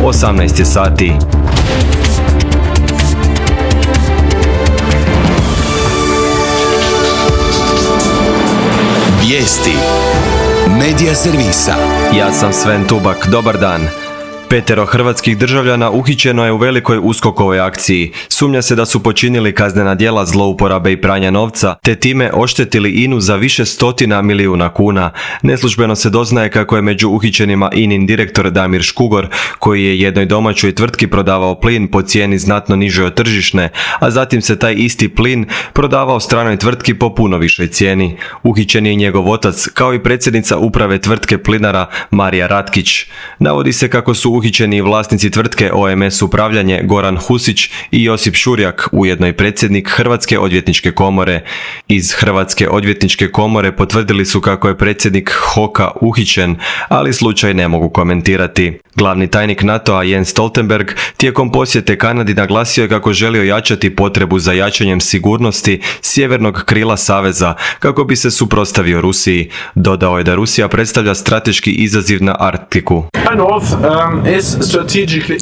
18 je sati. Vijesti Medija servisa. Ja sam Sven Tubak, dobar dan. 5 hrvatskih državljana uhićeno je u velikoj USKOK-ovoj akciji. Sumnja se da su počinili kaznena djela zlouporabe i pranja novca, te time oštetili INA-u za više stotina milijuna kuna. Neslužbeno se doznaje kako je među uhićenima INA-in direktor Damir Škugor, koji je jednoj domaćoj tvrtki prodavao plin po cijeni znatno nižoj od tržišne, a zatim se taj isti plin prodavao stranoj tvrtki po puno višoj cijeni. Uhićen je i njegov otac, kao i predsjednica uprave tvrtke Plinara Marija Ratkić. Navodi se kako su uhićeni vlasnici tvrtke OMS Upravljanje Goran Husić i Josip Šurjak, ujedno i predsjednik Hrvatske odvjetničke komore. Iz Hrvatske odvjetničke komore potvrdili su kako je predsjednik HOK-a uhićen, ali slučaj ne mogu komentirati. Glavni tajnik NATO-a Jens Stoltenberg tijekom posjete Kanadi naglasio je kako želi ojačati potrebu za jačanjem sigurnosti sjevernog krila saveza kako bi se suprotstavio Rusiji. Dodao je da Rusija predstavlja strateški izaziv na Arktiku.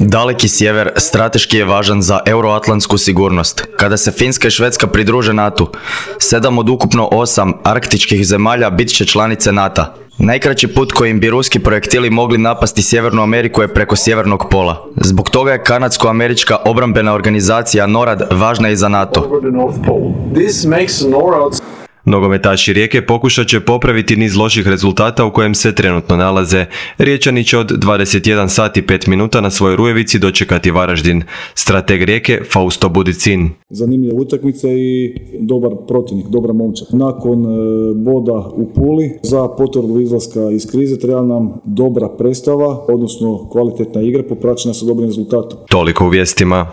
Daleki sjever strateški je važan za euroatlantsku sigurnost. Kada se Finska i Švedska pridruže NATO, 7 od ukupno 8 arktičkih zemalja bit će članice NATO-a. Najkraći put kojim bi ruski projektili mogli napasti Sjevernu Ameriku je preko sjevernog pola. Zbog toga je kanadsko-američka obrambena organizacija NORAD važna i za NATO. Nogometaši Rijeke pokušat će popraviti niz loših rezultata u kojem se trenutno nalaze. Riječani će od 21 sati 5 minuta na svojoj Rujevici dočekati Varaždin. Strateg Rijeke Fausto Budicin. Zanimljiva utakmica i dobar protivnik, dobra momčad. Nakon boda u Puli za potvrdu izlaska iz krize treba nam dobra predstava, odnosno kvalitetna igra popraćena sa dobrim rezultatom. Toliko u vijestima.